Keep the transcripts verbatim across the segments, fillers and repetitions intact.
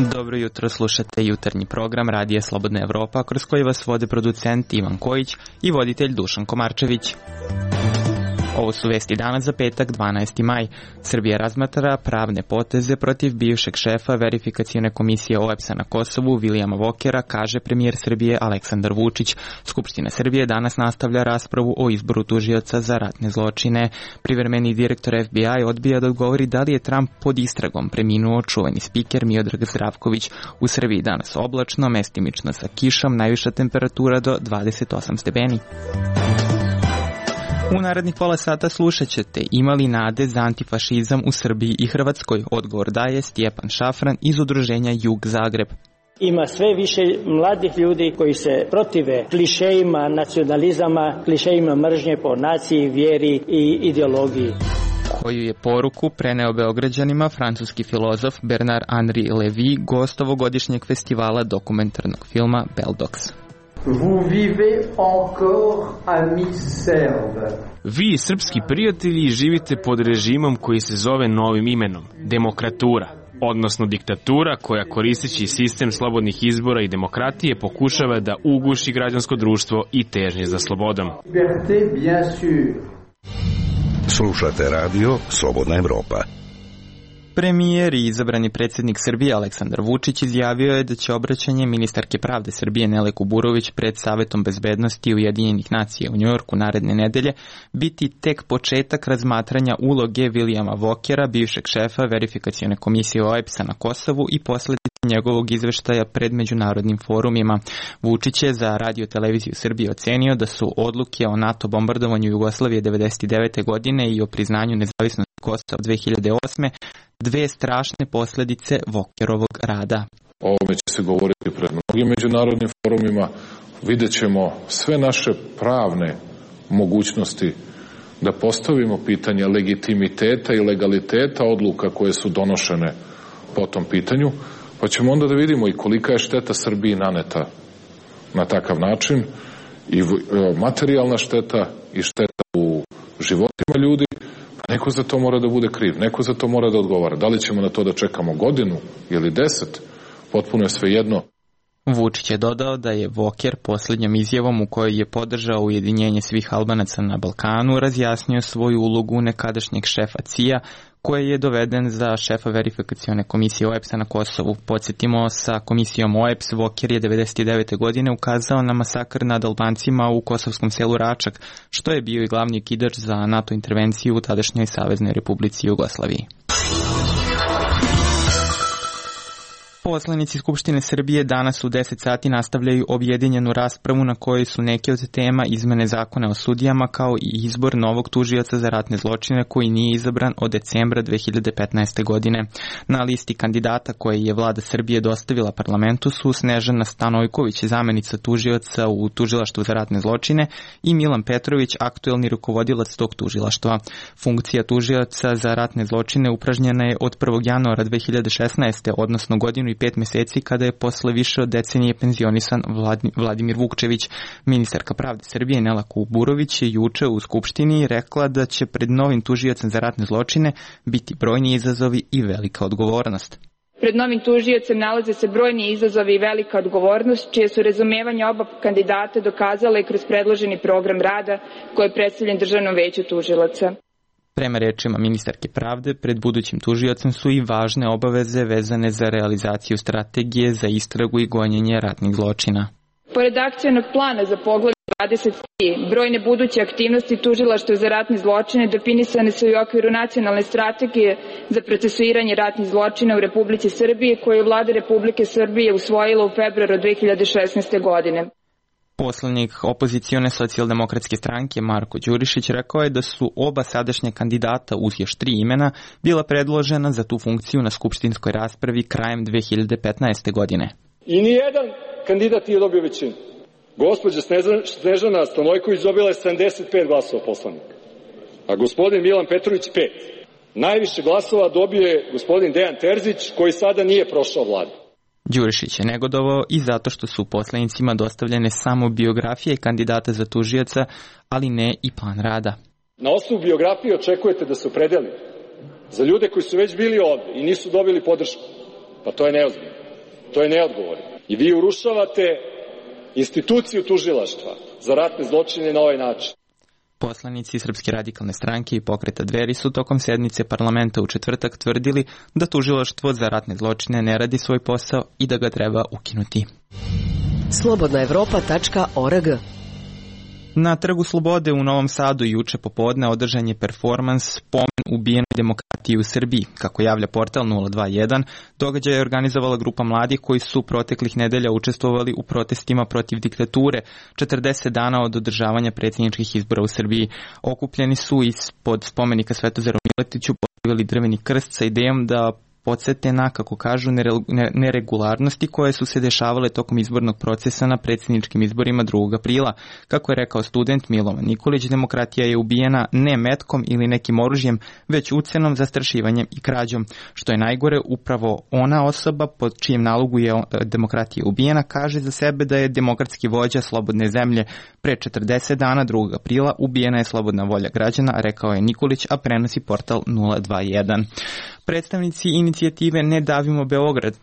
Dobro jutro, slušate jutarnji program Radija Slobodna Evropa, kroz koji vas vode producent Ivan Kojić i voditelj Dušan Komarčević. Ovo su vesti danas za petak, dvanaesti maj. Srbija razmatra pravne poteze protiv bivšeg šefa verifikacione komisije O E P S-a na Kosovu, Vilijama Vokera, kaže premijer Srbije Aleksandar Vučić. Skupština Srbije danas nastavlja raspravu o izboru tužioca za ratne zločine. Privremeni direktor F B I odbija da odgovori da li je Trump pod istragom. Preminuo čuveni spiker Miodrag Zdravković. U Srbiji danas oblačno, mestimično sa kišom, najviša temperatura do dvadeset osam stepeni. U narednih pola sata slušat ćete ima li nade za antifašizam u Srbiji i Hrvatskoj. Odgovor daje Stjepan Šafran iz udruženja Jug Zagreb. Ima sve više mladih ljudi koji se protive klišejima nacionalizama, klišejima mržnje po naciji, vjeri i ideologiji. Koju je poruku preneo Beograđanima francuski filozof Bernard Henri Lévy, gost ovogodišnjeg festivala dokumentarnog filma Beldox. Vous vivez encore amis Serbes. Vi, srpski prijatelji, živite pod režimom koji se zove novim imenom, demokratura, odnosno diktatura koja koristeći sistem slobodnih izbora i demokratije pokušava da uguši građansko društvo i težnje za slobodom. Liberté, bien sûr. Slušate radio Slobodna Evropa. Premijer i izabrani predsjednik Srbije Aleksandar Vučić izjavio je da će obraćanje ministarke pravde Srbije Nele Kuburović pred Savetom bezbednosti Ujedinjenih nacija u Njujorku naredne nedelje biti tek početak razmatranja uloge Vilijama Vokera, bivšeg šefa verifikacione komisije O E P S-a na Kosovu i posledice njegovog izveštaja pred međunarodnim forumima. Vučić je za Radio televiziju Srbije ocenio da su odluke o NATO bombardovanju Jugoslavije devedeset devete godine i o priznanju nezavisnosti Kosova dve hiljade osme dve strašne posljedice Vokerovog rada. O ovome će se govoriti pred mnogim međunarodnim forumima. Vidjet ćemo sve naše pravne mogućnosti da postavimo pitanje legitimiteta i legaliteta odluka koje su donošene po tom pitanju, pa ćemo onda da vidimo i kolika je šteta Srbiji naneta na takav način, i materijalna šteta i šteta u životima ljudi. Neko za to mora da bude kriv, neko za to mora da odgovara. Da li ćemo na to da čekamo godinu ili deset, potpuno je svejedno. Vučić je dodao da je Voker posljednjom izjavom u kojoj je podržao ujedinjenje svih Albanaca na Balkanu razjasnio svoju ulogu nekadašnjeg šefa C I A, koji je doveden za šefa verifikacione komisije O E P S-a na Kosovu. Podsjetimo, sa komisijom O E P S Voker je devedeset devete godine ukazao na masakr nad Albancima u kosovskom selu Račak, što je bio i glavni okidač za NATO intervenciju u tadašnjoj Saveznoj Republici Jugoslaviji. Poslanici Skupštine Srbije danas u deset sati nastavljaju objedinjenu raspravu na kojoj su neke od tema izmene zakona o sudijama kao i izbor novog tužioca za ratne zločine koji nije izabran od decembra dve hiljade petnaeste. godine. Na listi kandidata koje je vlada Srbije dostavila parlamentu su Snežana Stanojković, zamenica tužioca u tužilaštvu za ratne zločine, i Milan Petrović, aktuelni rukovodilac tog tužilaštva. Funkcija tužioca za ratne zločine upražnjena je od prvog januara dve hiljade šesnaeste. odnosno godinu i pet mjeseci kada je posle više od decenije penzionisan Vladimir Vukčević. Ministarka pravde Srbije Nela Kuburović je juče u Skupštini rekla da će pred novim tužiocem za ratne zločine biti brojni izazovi i velika odgovornost. Pred novim tužiocem nalaze se brojni izazovi i velika odgovornost, čije su razumevanje oba kandidata dokazale kroz predloženi program rada koji je predstavljen Državnom veću tužilaca. Prema rečima ministarke pravde, pred budućim tužiocem su i važne obaveze vezane za realizaciju strategije za istragu i gonjenje ratnih zločina. Pored akcionog plana za poglavlje dvadeset tri, brojne buduće aktivnosti tužilaštva za ratne zločine definisane su i u okviru nacionalne strategije za procesuiranje ratnih zločina u Republici Srbije, koju je Vlada Republike Srbije usvojila u februaru dve hiljade šesnaeste. godine. Poslanik opozicione socijaldemokratske stranke Marko Đurišić rekao je da su oba sadašnja kandidata uz još tri imena bila predložena za tu funkciju na skupštinskoj raspravi krajem dve hiljade petnaeste. godine. I nijedan kandidat nije dobio većinu. Gospođa Snežana Stanojković dobila je sedamdeset pet glasova poslanika, a gospodin Milan Petrović pet. Najviše glasova dobio je gospodin Dejan Terzić, koji sada nije prošao vladu. Đurišić je negodovao i zato što su poslanicima dostavljene samo biografije kandidata za tužioca, ali ne i plan rada. Na osnovu biografije očekujete da se opredeli za ljude koji su već bili ovde i nisu dobili podršku. Pa to je neozbiljno. To je neodgovorno. I vi urušavate instituciju tužilaštva za ratne zločine na ovaj način. Poslanici Srpske radikalne stranke i Pokreta Dveri su tokom sednice parlamenta u četvrtak tvrdili da tužilaštvo za ratne zločine ne radi svoj posao i da ga treba ukinuti. slobodna evropa tačka org. Na Trgu Slobode u Novom Sadu juče popodne održan je performans Spomen ubijenoj demokratiji u Srbiji. Kako javlja portal nula dva jedan, događaj je organizovala grupa mladih koji su proteklih nedelja učestvovali u protestima protiv diktature četrdeset dana od održavanja predsjedničkih izbora u Srbiji. Okupljeni su ispod spomenika Svetozaru Miletiću postavili drveni krst sa idejom da podsete na, kako kažu, neregularnosti koje su se dešavale tokom izbornog procesa na predsjedničkim izborima drugog aprila. Kako je rekao student Milovan Nikolić, demokratija je ubijena ne metkom ili nekim oružjem, već ucenom, zastrašivanjem i krađom. Što je najgore, upravo ona osoba pod čijem nalogu je demokratija ubijena kaže za sebe da je demokratski vođa slobodne zemlje. Pre četrdeset dana drugog aprila ubijena je slobodna volja građana, rekao je Nikolić, a prenosi portal nula dva jedan. Predstavnici inicijative Ne davimo Beograd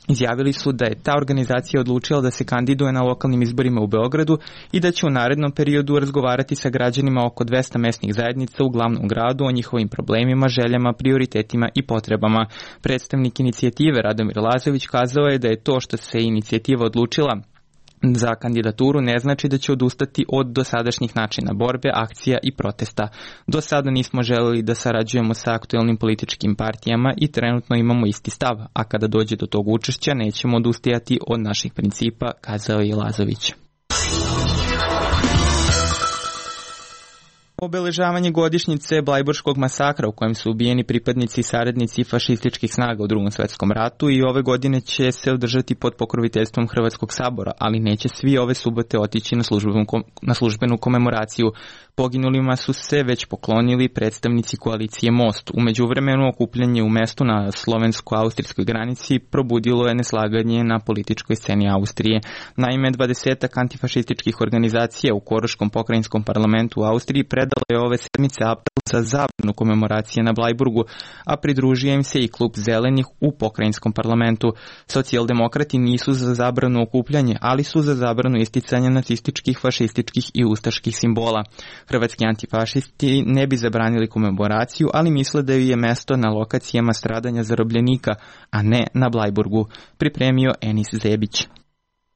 izjavili su da je ta organizacija odlučila da se kandiduje na lokalnim izborima u Beogradu i da će u narednom periodu razgovarati sa građanima oko dvesta mesnih zajednica u glavnom gradu o njihovim problemima, željama, prioritetima i potrebama. Predstavnik inicijative Radomir Lazović kazao je da je to što se inicijativa odlučila za kandidaturu ne znači da će odustati od dosadašnjih načina borbe, akcija i protesta. Do sada nismo želeli da sarađujemo sa aktuelnim političkim partijama i trenutno imamo isti stav, a kada dođe do tog učešća nećemo odustajati od naših principa, kazao je Lazović. Obeležavanje godišnjice Blajburškog masakra u kojem su ubijeni pripadnici i saradnici fašističkih snaga u Drugom svetskom ratu i ove godine će se održati pod pokroviteljstvom Hrvatskog sabora, ali neće svi ove subote otići na službenu, na službenu komemoraciju. Poginulima su se već poklonili predstavnici koalicije Most. U međuvremenu okupljanje u mestu na slovensko-austrijskoj granici probudilo je neslaganje na političkoj sceni Austrije. Naime, dvadesetak antifašističkih organizacija u Koroškom pokrajinskom parlamentu u Austriji predalo je ove sedmice apel za zabranu komemoracije na Blajburgu, a pridružio im se i klub Zelenih u pokrajinskom parlamentu. Socijaldemokrati nisu za zabranu okupljanje, ali su za zabranu isticanja nacističkih, fašističkih i ustaških simbola. Hrvatski antifašisti ne bi zabranili komemoraciju, ali misle da ju je mesto na lokacijama stradanja zarobljenika, a ne na Blajburgu, pripremio Enis Zebić.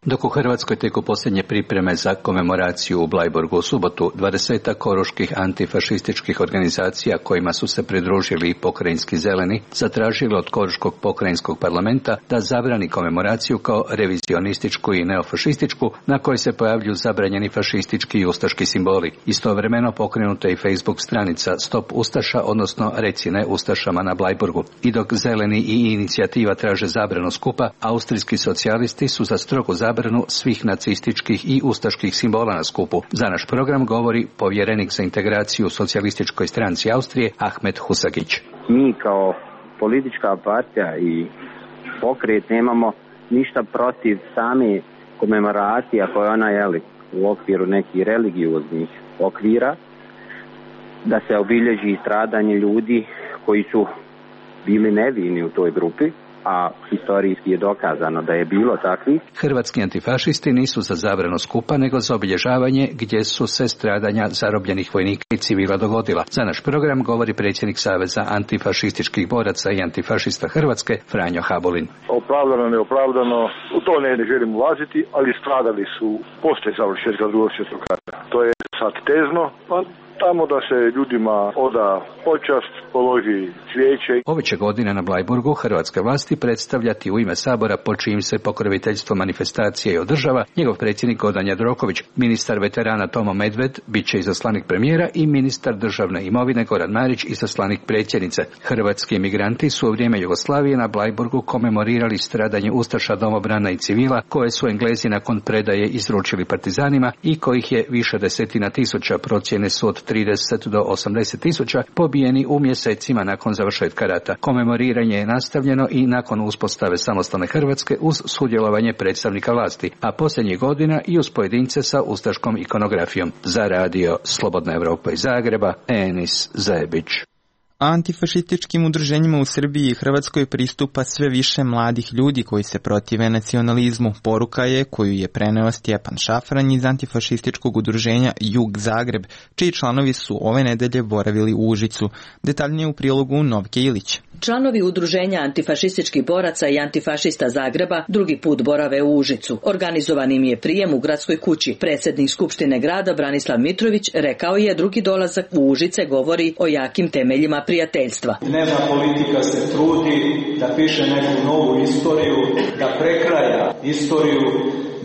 Dok u Hrvatskoj teku posljednje pripreme za komemoraciju u Blajburgu u subotu, dvadesetak koroških antifašističkih organizacija kojima su se pridružili i pokrajinski zeleni, zatražili od Koroškog pokrajinskog parlamenta da zabrani komemoraciju kao revizionističku i neofašističku, na kojoj se pojavljuju zabranjeni fašistički i ustaški simboli. Istovremeno pokrenuta i Facebook stranica Stop Ustaša, odnosno Reci ne Ustašama na Blajburgu. I dok zeleni i inicijativa traže zabranu skupa, austrijski socijalisti su za strogu zabranu zabranu svih nacističkih i ustaških simbola na skupu. Za naš program govori povjerenik za integraciju u socijalističkoj stranci Austrije Ahmet Husagić. Mi kao politička partija i pokret nemamo ništa protiv same komemoracije koje ona je u okviru nekih religioznih okvira, da se obilježi stradanje ljudi koji su bili nevini u toj grupi, a historijski je dokazano da je bilo takvih. Hrvatski antifašisti nisu za zabranu skupa, nego za obilježavanje gdje su se stradanja zarobljenih vojnika i civila dogodila. Za naš program govori predsjednik Saveza antifašističkih boraca i antifašista Hrvatske, Franjo Habulin. Opravdano, neopravdano, u to ne, ne želim ulaziti, ali stradali su poslije završetka Drugog svjetskog rata. To je sad tezno, pa tamo da se ljudima oda počast, položi cvijeće. Ove će godine na Blajburgu hrvatske vlasti predstavljati u ime Sabora, pod čijim se pokroviteljstvo manifestacije i održava, njegov predsjednik Gordan Jandroković, ministar veterana Tomo Medved, bit će izaslanik premijera, i ministar državne imovine Goran Marić, izaslanik predsjednice. Hrvatski emigranti su u vrijeme Jugoslavije na Blajburgu komemorirali stradanje ustaša, domobrana i civila koje su Englezi nakon predaje izručili partizanima i kojih je više desetina tisuća, procjene su od trideset do osamdeset tisuća, pobijeni u mjesecima nakon završetka rata. Komemoriranje je nastavljeno i nakon uspostave samostalne Hrvatske uz sudjelovanje predstavnika vlasti, a posljednjih godina i uz pojedince sa ustaškom ikonografijom. Za radio Slobodna Evropa iz Zagreba, Enis Zebić. Antifašističkim udruženjima u Srbiji i Hrvatskoj pristupa sve više mladih ljudi koji se protive nacionalizmu. Poruka je koju je preneo Stjepan Šafran iz antifašističkog udruženja Jug Zagreb, čiji članovi su ove nedelje boravili u Užicu. Detaljnije u prilogu Novke Ilić. Članovi udruženja antifašističkih boraca i antifašista Zagreba drugi put borave u Užicu. Organizovan im je prijem u gradskoj kući. Predsjednik Skupštine grada Branislav Mitrović rekao je drugi dolazak u Užice govori o jakim temeljima prijateljstva. Dnevna politika se trudi da piše neku novu istoriju, da prekraja istoriju,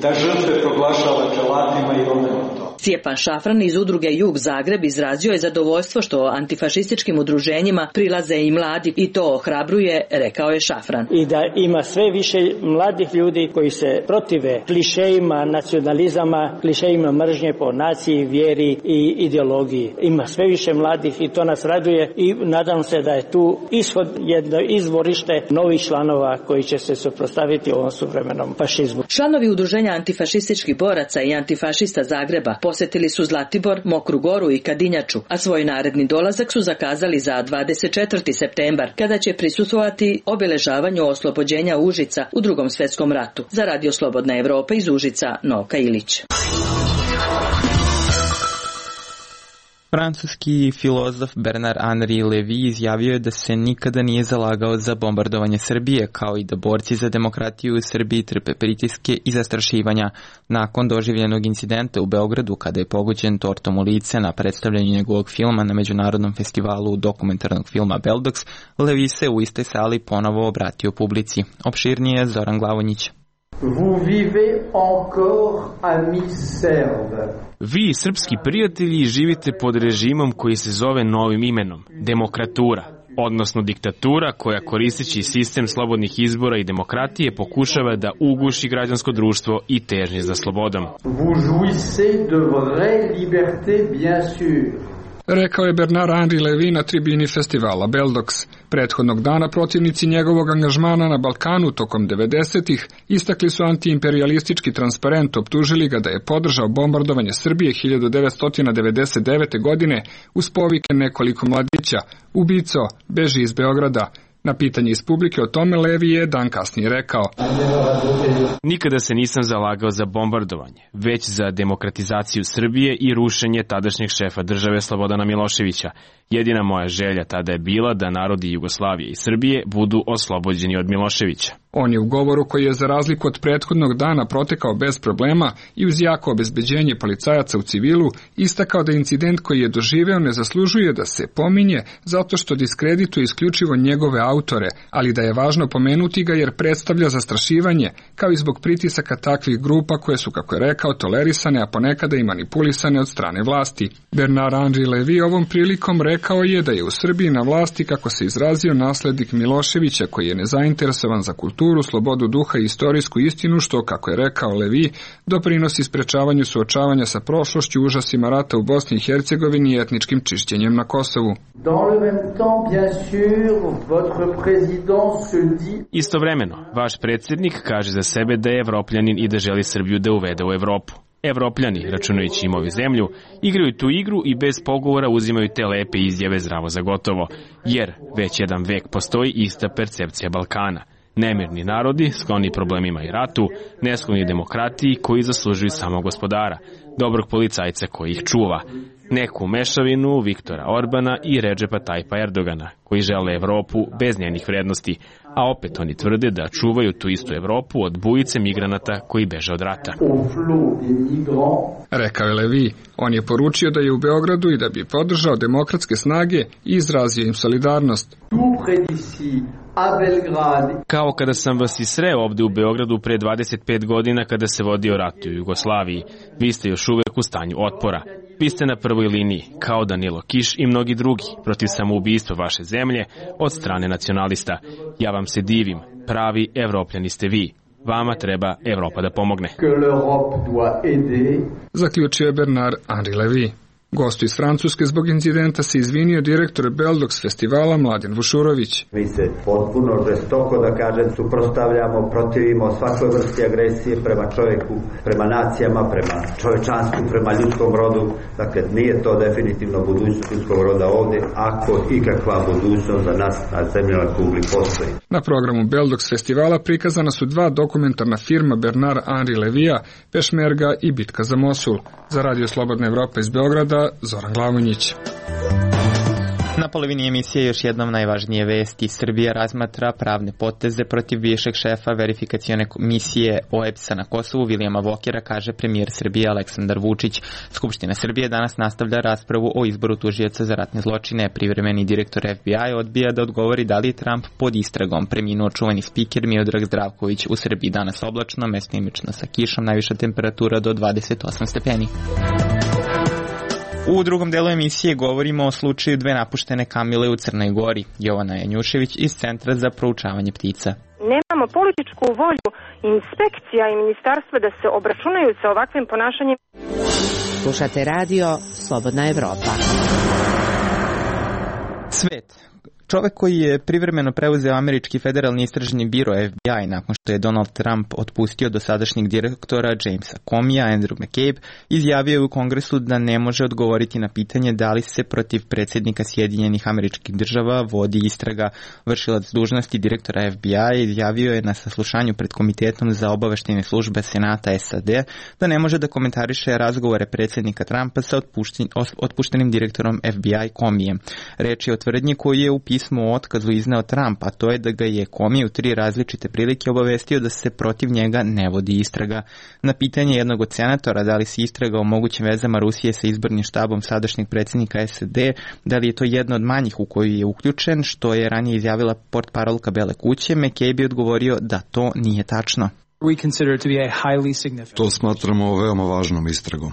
da žrtve proglašava dželatima i obrnuto. Stjepan Šafran iz udruge Jug Zagreb izrazio je zadovoljstvo što antifašističkim udruženjima prilaze i mladi i to ohrabruje, rekao je Šafran. I da ima sve više mladih ljudi koji se protive klišejima nacionalizama, klišejima mržnje po naciji, vjeri i ideologiji. Ima sve više mladih i to nas raduje i nadam se da je tu ishod jedno izvorište novih članova koji će se suprotstaviti ovom suvremenom fašizmu. Članovi udruženja antifašističkih boraca i antifašista Zagreba posjetili su Zlatibor, Mokru Goru i Kadinjaču, a svoj naredni dolazak su zakazali za dvadeset četvrti septembar, kada će prisustvovati obilježavanju oslobođenja Užica u Drugom svjetskom ratu. Za Radio Slobodna Evropa iz Užica, Novka Ilić. Francuski filozof Bernard-Henri Lévy izjavio je da se nikada nije zalagao za bombardovanje Srbije, kao i da borci za demokratiju u Srbiji trpe pritiske i zastrašivanja. Nakon doživljenog incidenta u Beogradu, kada je pogođen tortom u lice na predstavljanju njegovog filma na Međunarodnom festivalu dokumentarnog filma Beldox, Lévy se u istoj sali ponovo obratio publici. Opširnije Zoran Glavonjić. Vous vivez encore amis Serbes. Vi, srpski prijatelji, živite pod režimom koji se zove novim imenom, demokratura, odnosno diktatura koja koristeći sistem slobodnih izbora i demokratije pokušava da uguši građansko društvo i težnje za slobodom. Vous jouissez de vraie liberté, bien sûr. Rekao je Bernard-Henri Lévy na tribini festivala Beldox. Prethodnog dana protivnici njegovog angažmana na Balkanu tokom devedesetih istakli su antiimperialistički transparent, optužili ga da je podržao bombardovanje Srbije hiljadu devetsto devedeset devete. godine uz povike nekoliko mladića: ubico, beži iz Beograda. Na pitanje iz publike o tome Lévy je dan kasnije rekao: Nikada se nisam zalagao za bombardovanje, već za demokratizaciju Srbije i rušenje tadašnjeg šefa države Slobodana Miloševića. Jedina moja želja tada je bila da narodi Jugoslavije i Srbije budu oslobođeni od Miloševića. On je u govoru, koji je za razliku od prethodnog dana protekao bez problema i uz jako obezbeđenje policajaca u civilu, istakao da incident koji je doživeo ne zaslužuje da se pominje zato što diskredituje isključivo njegove autore, ali da je važno pomenuti ga jer predstavlja zastrašivanje, kao i zbog pritisaka takvih grupa koje su, kako je rekao, tolerisane, a ponekada i manipulisane od strane vlasti. Bernard-Henri Lévy ovom prilikom rekao je da je u Srbiji na vlasti, kako se izrazio, naslednik Miloševića, koji je nezainteresovan za kulturu, slobodu duha i istorijsku istinu, što, kako je rekao Lévy, doprinosi sprečavanju suočavanja sa prošlošću, užasima rata u Bosni i Hercegovini i etničkim čišćenjem na Kosovu. Istovremeno, vaš predsjednik kaže za sebe da je Evropljanin i da želi Srbiju da uvede u Evropu. Evropljani, računajući im ovu zemlju, igraju tu igru i bez pogovora uzimaju te lepe izjave zdravo za gotovo, jer već jedan vek postoji ista percepcija Balkana. Nemirni narodi, skloni problemima i ratu, neskloni demokratiji koji zaslužuju samo gospodara, dobrog policajca koji ih čuva, neku mešavinu Viktora Orbana i Redžepa Tajpa Erdogana, koji žele Evropu bez njenih vrednosti, a opet oni tvrde da čuvaju tu istu Evropu od bujice migranata koji beže od rata. Rekao je Lévy. On je poručio da je u Beogradu i da bi podržao demokratske snage i izrazio im solidarnost. Kao kada sam vas i sreo ovde u Beogradu pre dvadeset pet godina kada se vodio rat u Jugoslaviji. Vi ste još uvek u stanju otpora. Vi ste na prvoj liniji, kao Danilo Kiš i mnogi drugi, protiv samoubistva vaše zemlje od strane nacionalista. Ja vam se divim, pravi Evropljani ste vi. Vama treba Evropa da pomogne. Zaključio je Bernard-Henri Lévy. Gostu iz Francuske zbog incidenta se izvinio direktor Beldox festivala Mladen Vušurović. Mi se potpuno žestoko, da kažem, suprotstavljamo, protivimo svakoj vrsti agresije prema čovjeku, prema nacijama, prema čovečanstvu, prema ljudskom rodu. Dakle, nije to definitivno budućnost ljudskog roda ovdje, ako ikakva budućnost za nas na zemljinoj kugli postoji. Na programu Beldox festivala prikazana su dva dokumentarna filma Bernard Henri Levija, Pešmerga i Bitka za Mosul. Za Radio Slobodna Evropa iz Beograda, Zoran Glavonjić. Na polovini emisije još jednom najvažnije vesti. Srbija razmatra pravne poteze protiv bivšeg šefa verifikacione misije O E B S-a na Kosovu, Vilijama Vokera, kaže premijer Srbije Aleksandar Vučić. Skupština Srbije danas nastavlja raspravu o izboru tužioca za ratne zločine. Privremeni direktor F B I odbija da odgovori da li je Trump pod istragom. Preminuo čuveni spiker Miodrag Zdravković. U Srbiji danas oblačno, mestimično sa kišom, najviša temperatura do dvadeset osam stepeni. U drugom delu emisije govorimo o slučaju dve napuštene kamile u Crnoj Gori. Jovana Janjušević iz Centra za proučavanje ptica. Nemamo političku volju inspekcija i ministarstva da se obračunaju sa ovakvim ponašanjem. Slušate radio Slobodna Evropa. Svet. Čovek koji je privremeno preuzeo američki federalni istražni biro F B I nakon što je Donald Trump otpustio dosadašnjeg direktora Jamesa Comeyja, Andrew McCabe, izjavio je u Kongresu da ne može odgovoriti na pitanje da li se protiv predsjednika Sjedinjenih Američkih Država vodi istraga. Vršilac dužnosti direktora F B I izjavio je na saslušanju pred Komitetom za obaveštajne službe Senata S A D da ne može da komentariše razgovore predsjednika Trumpa sa otpuštenim direktorom F B I Comeyjem. Reč je o tvrdnji koju je u pismu o otkazu izneo Trump, a to je da ga je Comey u tri različite prilike obavestio da se protiv njega ne vodi istraga. Na pitanje jednog od senatora da li se istraga o mogućim vezama Rusije sa izbornim štabom sadašnjeg predsjednika S A D, da li je to jedna od manjih u koju je uključen, što je ranije izjavila portparolka Bele kuće, McCabe je odgovorio da to nije tačno. To smatramo veoma važnom istragom.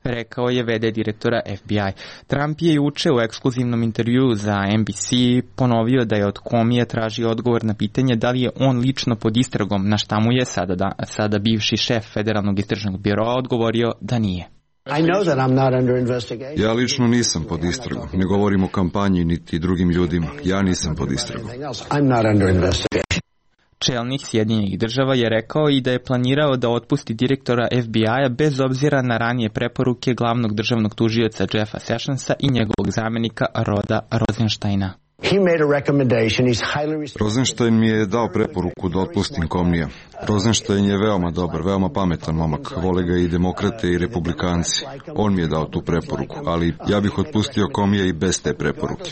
Rekao je V D direktora F B I. Trump je juče u ekskluzivnom intervjuu za N B C ponovio da je od Comeyja tražio odgovor na pitanje da li je on lično pod istragom, na šta mu je sada, da, sada bivši šef federalnog istražnog biroa odgovorio da nije. Ja lično nisam pod istragom. Ne govorim o kampanji niti drugim ljudima. Ja nisam pod istragom. Čelnik Sjedinjenih Država je rekao i da je planirao da otpusti direktora F B I-a bez obzira na ranije preporuke glavnog državnog tužioca Jeffa Sessionsa i njegovog zamenika Roda Rosensteina. Rosenstein mi je dao preporuku da otpustim Comeyja. Rosenstein je veoma dobar, veoma pametan momak. Vole ga i demokrate i republikanci. On mi je dao tu preporuku, ali ja bih otpustio Comeyja i bez te preporuke.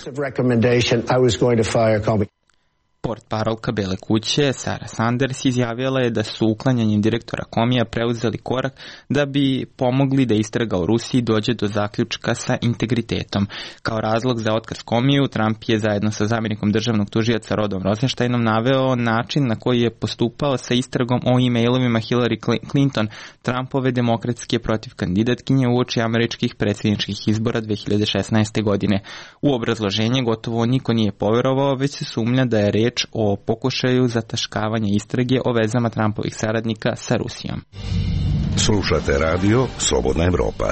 Portparolka Bele kuće, Sarah Sanders, izjavila je da su uklanjanjem direktora Comeyja preuzeli korak da bi pomogli da istraga o Rusiji dođe do zaključka sa integritetom. Kao razlog za otkaz Comeyju, Trump je zajedno sa zamjenikom državnog tužioca Rodom Rosensteinom naveo način na koji je postupao sa istragom o e-mailovima Hillary Clinton, Trumpove demokratske protiv kandidatkinje uoči američkih predsjedničkih izbora dve hiljade šesnaeste. godine. U obrazloženje gotovo niko nije poverovao, već se sumnja da je reč o pokušaju zataškavanja istrage o vezama Trumpovih saradnika sa Rusijom. Slušate radio Slobodna Evropa.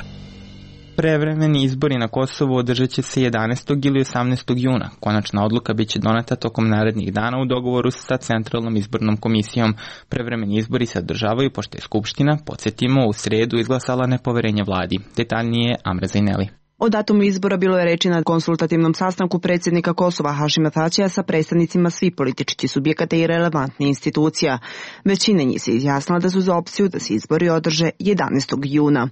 Prevremeni izbori na Kosovu održat će se jedanaestog ili osamnaestog juna. Konačna odluka bit će doneta tokom narednih dana u dogovoru sa Centralnom izbornom komisijom. Prevremeni izbori se održavaju pošto je Skupština, podsjetimo, u sredu izglasala nepoverenje vladi. Detaljnije Amra Zajneli. O datumu izbora bilo je reči na konsultativnom sastanku predsjednika Kosova Hašima Tačija sa predstavnicima svih političkih subjekata i relevantnih institucija. Većina njih se izjasnila da su za opciju da se izbori održe jedanaestog juna.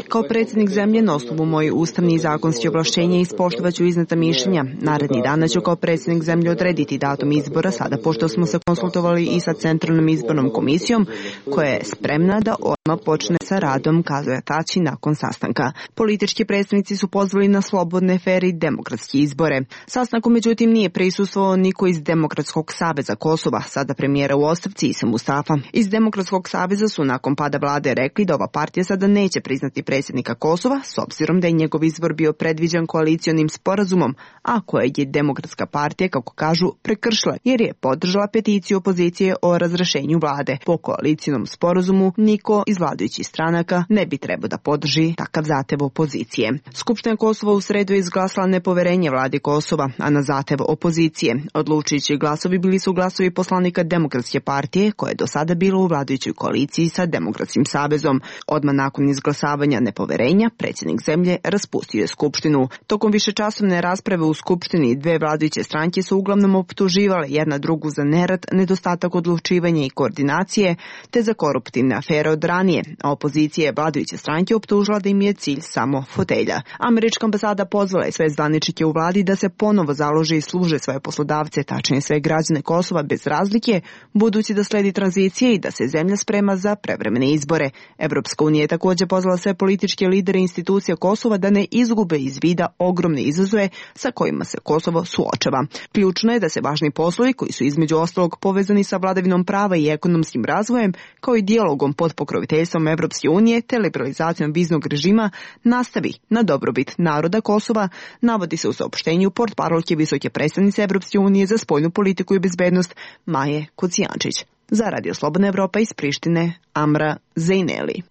Kao predsjednik zemlje na osnovu mojih ustavnih i zakonskih ovlašćenja ispoštovat ću izneta mišljenja. Naredni dana ću kao predsjednik zemlje odrediti datum izbora sada pošto smo se konsultovali i sa Centralnom izbornom komisijom koja je spremna da odmah počne sa radom kazuje Tači nakon sastanka. Politički predstavnici su pozvali na slobodne, fer i demokratske izbore. Sastanku međutim nije prisustvovao niko iz Demokratskog saveza Kosova, sada premijera u ostavci Isa Mustafa. Iz Demokratskog saveza su nakon pada vlade rekli da ova partija sada neće priznati predsjednika Kosova, s obzirom da je njegov izbor bio predviđen koalicionim sporazumom, a koje je Demokratska partija, kako kažu, prekršila, jer je podržala peticiju opozicije o razrešenju vlade. Po koalicijnom sporazumu niko iz vladajućih stranaka ne bi trebao da podrži takav zahtev opozicije. Skupština Kosova u sredu je izglasala nepoverenje vladi Kosova, a na zahtev opozicije. Odlučujući glasovi bili su glasovi poslanika Demokratske partije, koja je do sada bila u vladajućoj koaliciji sa Demokratskim savezom. Odmah nakon izglasavanja nepoverenja, predsjednik zemlje raspustio je skupštinu. Tokom višečasovne rasprave u skupštini dve vladajuće stranke su uglavnom optuživale jedna drugu za nerad, nedostatak odlučivanja i koordinacije, te za koruptivne afere od ranije, a opozicija je vladajuće stranke optužila da im je cilj samo fotelja. Američka ambasada pozvala je sve zvaničnike u vladi da se ponovo založe i služe svoje poslodavce, tačnije sve građane Kosova bez razlike, budući da sledi tranzicije i da se zemlja sprema za prevremene izbore. Evropska unija je također pozvala sve političke lidere institucija Kosova da ne izgube iz vida ogromne izazove sa kojima se Kosovo suočava. Ključno je da se važni poslovi koji su između ostalog povezani sa vladavinom prava i ekonomskim razvojem, kao i dijalogom pod pokroviteljstvom Evropske unije te liberalizacijom viznog režima, nastavi na dobrobit naroda Kosova, navodi se u saopštenju portparolke visoke predstavnice Evropske unije za spoljnu politiku i bezbednost Maje Kocijančić. Za Radio Slobodna Evropa iz Prištine, Amra Zejneli.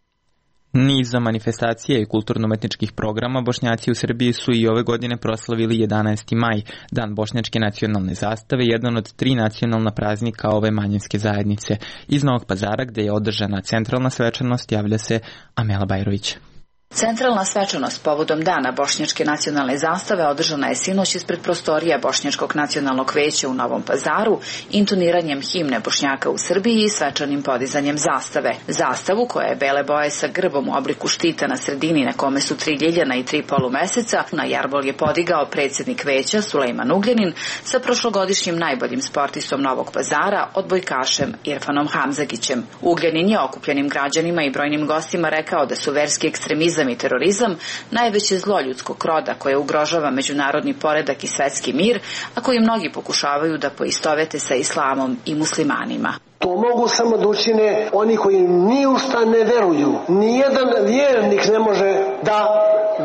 Niza manifestacija i kulturno-umetničkih programa Bošnjaci u Srbiji su i ove godine proslavili jedanaesti maj, dan bošnjačke nacionalne zastave, jedan od tri nacionalna praznika ove manjinske zajednice. Iz Novog Pazara, gde je održana centralna svečanost, javlja se Amela Bajrović. Centralna svečanost povodom dana bošnjačke nacionalne zastave održana je sinoć ispred prostorija Bošnjačkog nacionalnog veća u Novom Pazaru, intoniranjem himne Bošnjaka u Srbiji i svečanim podizanjem zastave. Zastavu, koja je bele boje sa grbom u obliku štita na sredini na kome su tri ljiljana i tri polumeseca, na jarbol je podigao predsjednik veća Sulejman Ugljanin sa prošlogodišnjim najboljim sportistom Novog Pazara, odbojkašem Irfanom Hamzagićem. Ugljanin je okupljenim građanima i brojnim gostima rekao da su verski ekstremizam i terorizam najveće zlo ljudskog roda koje ugrožava međunarodni poredak i svetski mir, a koji mnogi pokušavaju da poistovete sa islamom i muslimanima. To mogu samo da učine oni koji ni u šta ne veruju. Nijedan vjernik ne može da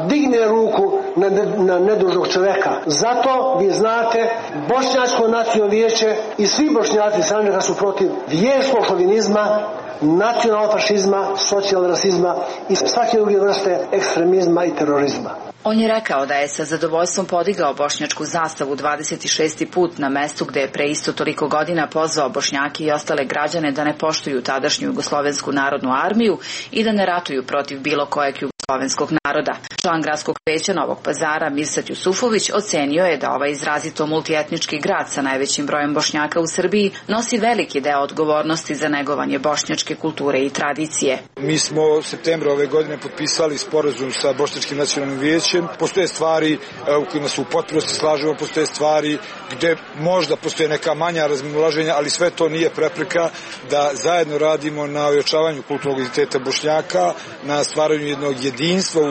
digne ruku na, na nedužnog čoveka. Zato vi znate, Bošnjačko nacionalno vijeće i svi Bošnjaci Sandžaka su protiv vjerskog šovinizma, nacionalnog fašizma, socijalnog rasizma i svake druge vrste ekstremizma i terorizma. On je rekao da je sa zadovoljstvom podigao bošnjačku zastavu dvadeset šesti put na mestu gde je pre isto toliko godina pozvao Bošnjake i ostale građane da ne poštuju tadašnju Jugoslovensku narodnu armiju i da ne ratuju protiv bilo kojeg jugoslovenskog naroda. Član gradskog veća Novog Pazara Mirsad Jusufović ocenio je da ovaj izrazito multietnički grad sa najvećim brojem Bošnjaka u Srbiji nosi veliki deo odgovornosti za negovanje bošnjačke kulture i tradicije. Mi smo u septembru ove godine potpisali sporazum sa Bošnjačkim nacionalnim vijećem. Postoje stvari u kojima se u potpunosti slažemo, postoje stvari gde možda postoje neka manja razmimoilaženja, ali sve to nije prepreka da zajedno radimo na ojačavanju kulturnog identiteta Bošnjaka, na stvaranju jednog jedinstva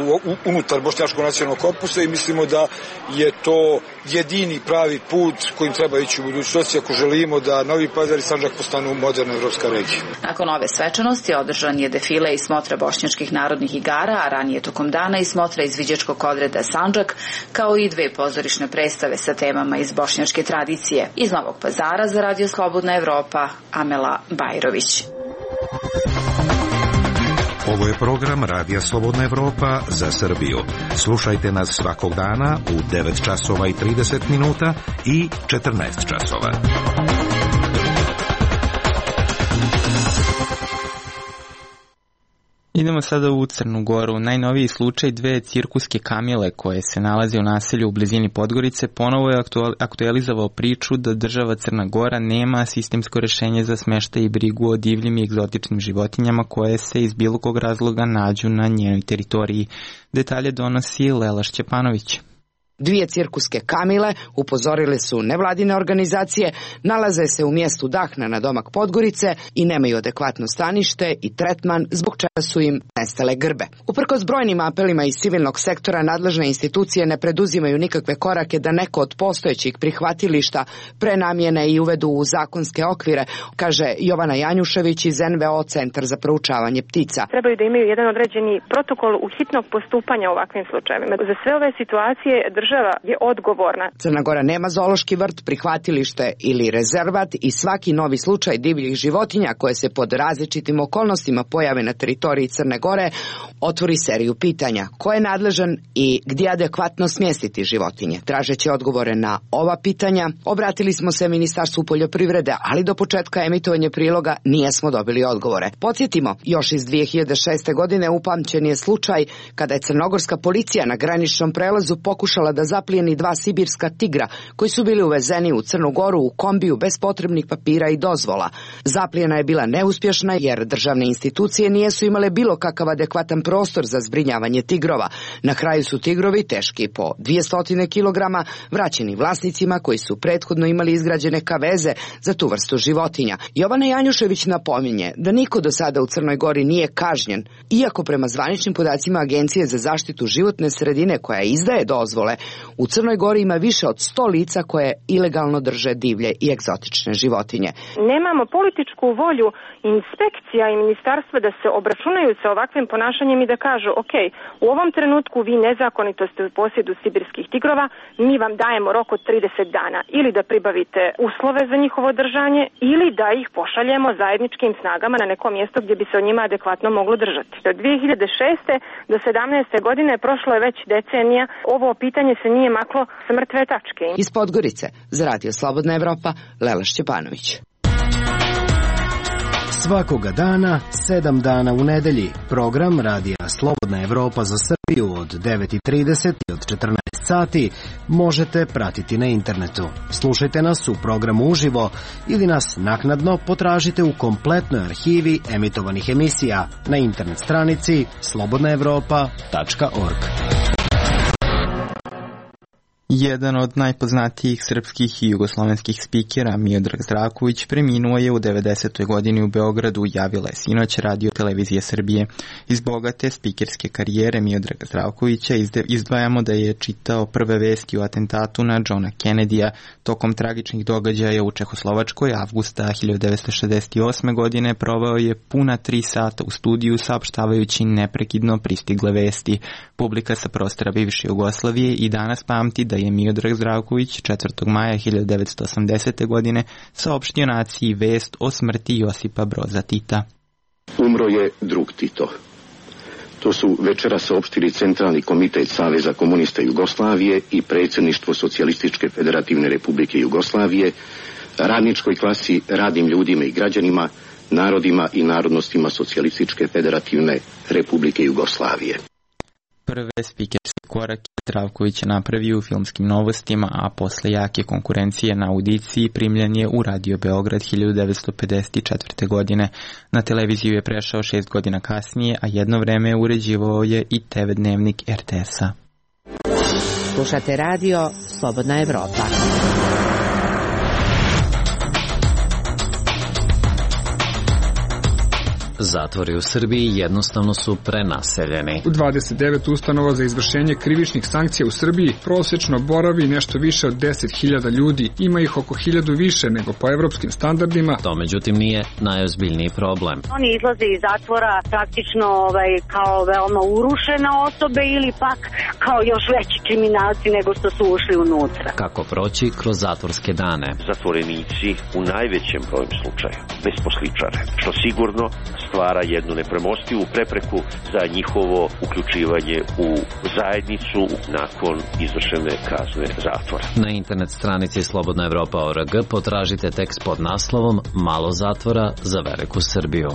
unutar Bošnjačkog nacionalnog korpusa i mislimo da je to jedini pravi put kojim treba ići u budućnosti ako želimo da Novi Pazar i Sandžak postanu moderna evropska regija. Nakon ove svečanosti održan je defile i smotra bošnjačkih narodnih igara, a ranije tokom dana i smotra izviđačkog odreda Sandžak, kao i dve pozorišne predstave sa temama iz bošnjačke tradicije. Iz Novog Pazara za Radio Slobodna Evropa, Amela Bajrović. Ovo je program Radija Slobodna Evropa za Srbiju. Slušajte nas svakog dana u devet časova i trideset minuta i četrnaest časova. Idemo sada u Crnu Goru. Najnoviji slučaj dve cirkuske kamile koje se nalaze u naselju u blizini Podgorice ponovo je aktualizovao priču da država Crna Gora nema sistemsko rešenje za smeštaj i brigu o divljim i egzotičnim životinjama koje se iz bilo kog razloga nađu na njenoj teritoriji. Detalje donosi Lela Šćepanović. Dvije cirkuske kamile, upozorile su nevladine organizacije, nalaze se u mjestu Dahna na domak Podgorice i nemaju adekvatno stanište i tretman, zbog čega su im nestale grbe. Uprkos brojnim apelima iz civilnog sektora, nadležne institucije ne preduzimaju nikakve korake da neko od postojećih prihvatilišta prenamjene i uvedu u zakonske okvire, kaže Jovana Janjušević iz en ve o Centar za proučavanje ptica. Trebaju da imaju jedan određeni protokol u hitnog postupanja u ovakvim slučajevima. Za sve ove situacije država je odgovorna. Crna Gora nema zoološki vrt, prihvatilište ili rezervat i svaki novi slučaj divljih životinja koje se pod različitim okolnostima pojave na teritoriji Crne Gore otvori seriju pitanja. Ko je nadležan i gdje adekvatno smjestiti životinje? Tražeći odgovore na ova pitanja, obratili smo se Ministarstvu poljoprivrede, ali do početka emitovanja priloga nijesmo dobili odgovore. Podsjetimo, još iz dvije hiljade šeste. godine upamćen je slučaj kada je crnogorska policija na graničnom prelazu pokušala da zaplijeni dva sibirska tigra koji su bili uvezeni u Crnu Goru u kombiju bez potrebnih papira i dozvola. Zaplijena je bila neuspješna jer državne institucije nijesu imale bilo kakav adekvatan prostor za zbrinjavanje tigrova. Na kraju su tigrovi, teški po dvjesto kilograma, vraćeni vlasnicima koji su prethodno imali izgrađene kaveze za tu vrstu životinja. Jovana Janjušević napominje da niko do sada u Crnoj Gori nije kažnjen, iako prema zvaničnim podacima Agencije za zaštitu životne sredine koja izdaje dozvole, u Crnoj Gori ima više od sto lica koje ilegalno drže divlje i egzotične životinje. Nemamo političku volju inspekcija i ministarstva da se obračunaju sa ovakvim ponašanjem i da kažu, ok, u ovom trenutku vi nezakonito ste u posjedu sibirskih tigrova, mi vam dajemo rok od trideset dana ili da pribavite uslove za njihovo držanje ili da ih pošaljemo zajedničkim snagama na neko mjesto gdje bi se o njima adekvatno moglo držati. Od dvije hiljade šeste. do sedamnaeste. godine prošlo je već decenija, ovo pitanje se nije maklo s mrtve tačke. Iz Podgorice, za Radio Slobodna Evropa, Lela Šćepanović. Svakoga dana, sedam dana u nedelji, program Radija Slobodna Evropa za Srbiju od devet i trideset i od četrnaest sati možete pratiti na internetu. Slušajte nas u programu uživo ili nas naknadno potražite u kompletnoj arhivi emitovanih emisija na internet stranici slobodna evropa tačka org. Jedan od najpoznatijih srpskih i jugoslovenskih spikera, Miodrag Zdravković, preminuo je u devedesetoj godini u Beogradu, javila je sinoć Radio Televizije Srbije. Iz bogate spikerske karijere Miodraga Zdravkovića izdvajamo da je čitao prve vesti o atentatu na Johna Kennedya tokom tragičnih događaja u Čehoslovačkoj. Avgusta hiljadu devetsto šezdeset osme. godine proveo je puna tri sata u studiju saopštavajući neprekidno pristigle vesti. Publika sa prostora bivše Jugoslavije i danas pamti da je Miodrag Zdravković četvrtog maja hiljadu devetsto osamdesete. godine saopštio naciji vest o smrti Josipa Broza Tita. Umro je drug Tito. To su večera saopštili Centralni komitet Saveza komunista Jugoslavije i predsjedništvo Socijalističke federativne republike Jugoslavije, radničkoj klasi, radnim ljudima i građanima, narodima i narodnostima Socijalističke federativne republike Jugoslavije. Prve spikerske korake Zdravković je napravio u filmskim novostima, a posle jake konkurencije na audiciji primljen je u Radio Beograd hiljadu devetsto pedeset četvrte. godine. Na televiziju je prešao šest godina kasnije, a jedno vreme uređivao je i te ve dnevnik er te es-a. Slušate Radio Slobodna Evropa. Zatvori u Srbiji jednostavno su prenaseljeni. U dvadeset devet ustanova za izvršenje krivičnih sankcija u Srbiji prosječno boravi nešto više od deset hiljada ljudi. Ima ih oko hiljadu više nego po evropskim standardima. To međutim nije najozbiljniji problem. Oni izlaze iz zatvora praktično ovaj, kao veoma urušene osobe ili pak kao još veći kriminalci nego što su ušli unutra. Kako proći kroz zatvorske dane? Zatvorenici u najvećem broju slučaja besposličare, što sigurno stvara jednu nepremostivu prepreku za njihovo uključivanje u zajednicu nakon izvršene kazne zatvora. Na internet stranici slobodna evropa tačka org potražite tekst pod naslovom Malo zatvora za veliku Srbiju.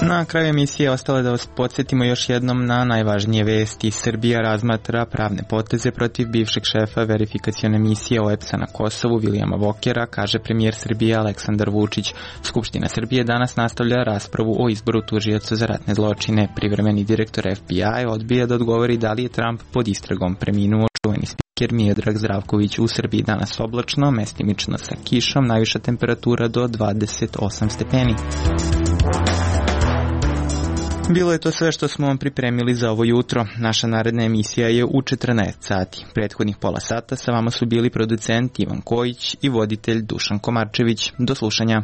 Na kraju emisije ostalo da vas podsjetimo još jednom na najvažnije vesti. Srbija razmatra pravne poteze protiv bivšeg šefa verifikacione misije O E P S-a na Kosovu Vilijama Vokera, kaže premijer Srbije Aleksandar Vučić. Skupština Srbije danas nastavlja raspravu o izboru tužioca za ratne zločine. Privremeni direktor F B I odbija da odgovori da li je Trump pod istragom. Preminuo čuveni spiker Miodrag Zdravković. U Srbiji danas oblačno, mestimično sa kišom, najviša temperatura do dvadeset osam stepeni. Bilo je to sve što smo vam pripremili za ovo jutro. Naša naredna emisija je u četrnaest sati. Prethodnih pola sata sa vama su bili producent Ivan Kojić i voditelj Dušan Komarčević. Do slušanja.